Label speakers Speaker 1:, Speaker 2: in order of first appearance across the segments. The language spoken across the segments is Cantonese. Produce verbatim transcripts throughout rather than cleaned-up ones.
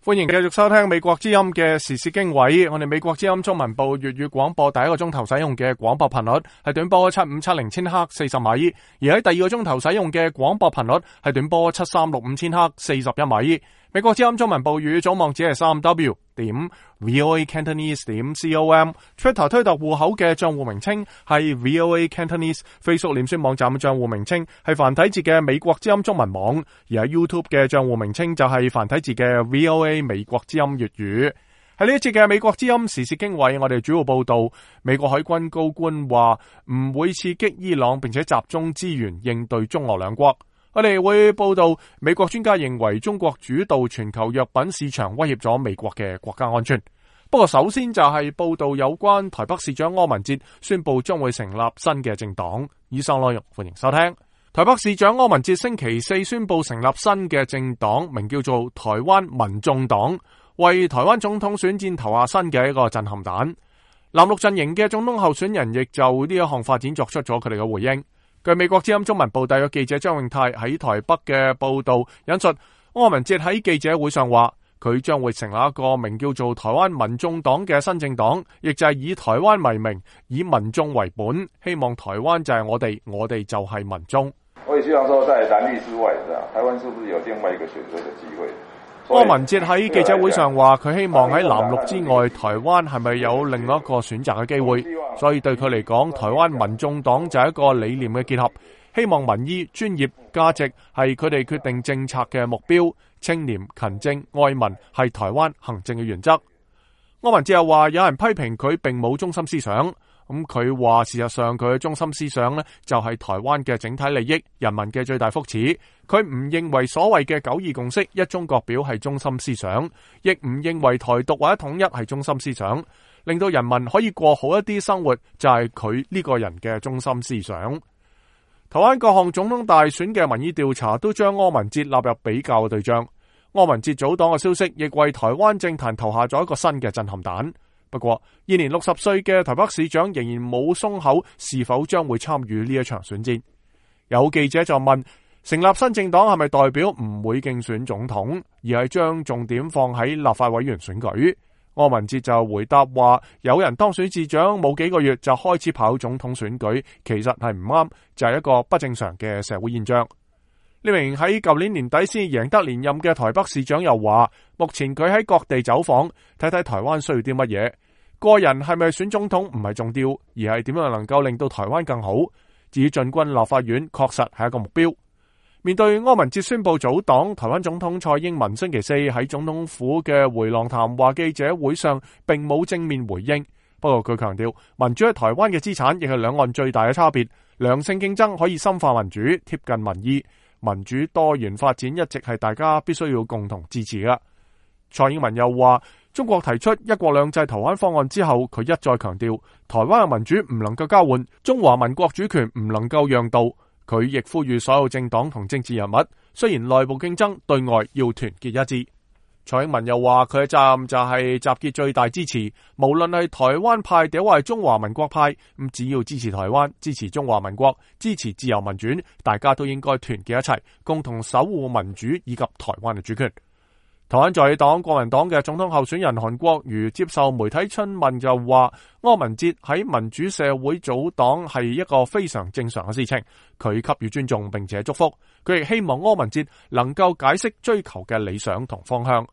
Speaker 1: 歡迎繼續收聽美國之音嘅時事經緯。我哋美國之音中文部粵語廣播第一個鐘頭使用嘅廣播頻率係短波七五七零千赫四十米，而喺第二個鐘頭使用嘅廣播頻率係短波七三六五千赫四十一米。美國之音中文部粵語總網址係三 w 點 voa cantonese 點 com，Twitter 推特戶口嘅賬戶名稱係 voa cantonese，Facebook 臉書網站嘅賬戶名稱係繁體字嘅美國之音中文網，而喺 YouTube 嘅賬戶名稱就係繁體字嘅 voa 美國之音粵語。喺呢一節嘅美國之音時事經緯，我哋主要報道美國海軍高官話唔會刺激伊朗，並且集中資源應對中俄兩國。我哋會報道美國專家認為中國主導全球藥品市場，威脅咗美國嘅國家安全。不過首先就係報道有關台北市長柯文哲宣布將會成立新嘅政黨。以上內容歡迎收聽。台北市長柯文哲星期四宣布成立新嘅政黨，名叫做台灣民眾黨，為台灣總統選戰投下新嘅一個震撼彈。藍綠陣營嘅總統候選人亦就呢一項發展作出咗佢哋嘅回應。據美國之音中文部特約記者張永泰喺台北嘅報道引述，柯文哲喺記者會上話，佢將會成立一個名叫做台灣民眾黨嘅新政黨，亦就係以台灣為名，以民眾為本，希望台灣就係我哋，我哋就係民眾。
Speaker 2: 我也希望說，在藍綠之外，台灣是不是有另外一個選擇嘅機會？
Speaker 1: 柯文哲喺記者會上話，佢希望喺藍綠之外，台灣係咪有另外一個選擇嘅機會？所以對佢嚟講，台灣民眾黨就係一個理念嘅結合，希望民意、專業、價值係佢哋決定政策嘅目標，清廉、勤政、愛民係台灣行政嘅原則。柯文哲又話，有人批評佢並冇中心思想。咁佢話事實上佢嘅中心思想呢，就係台灣嘅整體利益、人民嘅最大福祉。佢唔認為所謂嘅九二共識、一中各表係中心思想，亦唔認為台獨或者統一係中心思想。令到人民可以過好一啲生活，就係佢呢個人嘅中心思想。台灣各項總統大選嘅民意調查都將柯文哲納入比較嘅對象。柯文哲組黨嘅消息亦為台灣政壇投下咗一個新嘅震撼彈。不過，現年六十歲嘅台北市長仍然冇鬆口，是否將會參與呢一場選戰？有記者就問，成立新政黨係咪代表唔會競選總統，而係將重點放喺立法委員選舉？柯文哲就回答話，有人當選市長冇幾個月就開始跑總統選舉，其實係唔啱，就係一個不正常嘅社會現象。呢名喺舊年年底先贏得連任嘅台北市長又話，目前佢喺各地走訪，睇睇台灣需要啲乜嘢。個人係咪選總統唔係重要，而係點樣能夠令到台灣更好。至於進軍立法院，確實係一個目標。面對柯文哲宣布組黨，台灣總統蔡英文星期四喺總統府嘅回廊談話記者會上並冇正面回應。不過佢強調，民主喺台灣嘅資產亦係兩岸最大嘅差別。良性競爭可以深化民主，貼近民意。民主多元發展一直係大家必須要共同支持嘅。蔡英文又話，中國提出一國兩制台灣方案之後，佢一再強調，台灣嘅民主唔能夠交換，中華民國主權唔能夠讓渡。佢亦呼籲所有政黨同政治人物，雖然內部競爭，對外要團結一致。蔡英文又話，佢嘅責任就係集結最大支持，無論係台灣派定或係中華民國派，咁只要支持台灣、支持中華民國、支持自由民主，大家都應該團結一齊，共同守護民主以及台灣嘅主權。台灣在野黨國民黨嘅總統候選人韓國瑜接受媒體詢問就話，柯文哲喺民主社會組黨係一個非常正常嘅事情，佢給予尊重並且祝福，佢亦希望柯文哲能夠解釋追求嘅理想同方向。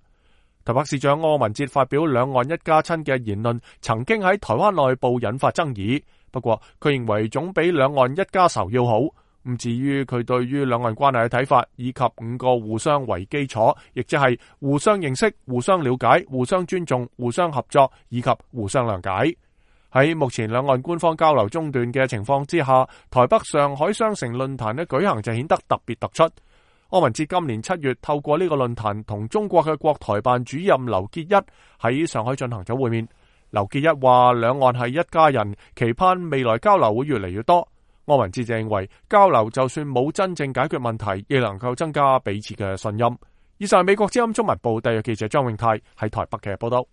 Speaker 1: 台北市長柯文哲發表兩岸一家親嘅言論，曾經喺台灣內部引發爭議，不過佢認為總比兩岸一家仇要好。咁至於佢對於兩岸關係嘅睇法，以及五個互相為基礎，亦即係互相認識、互相了解、互相尊重、互相合作以及互相諒解。喺目前兩岸官方交流中斷嘅情況之下，台北上海雙城論壇嘅舉行就顯得特別突出。柯文哲今年七月透過呢個論壇同中國嘅國台辦主任劉結一喺上海進行咗會面。劉結一話兩岸係一家人，期盼未來交流會越嚟越多。柯文哲就認為交流就算冇真正解決問題，亦能夠增加彼此嘅信任。以上係美國之音中文部特約記者張永泰喺台北嘅報道。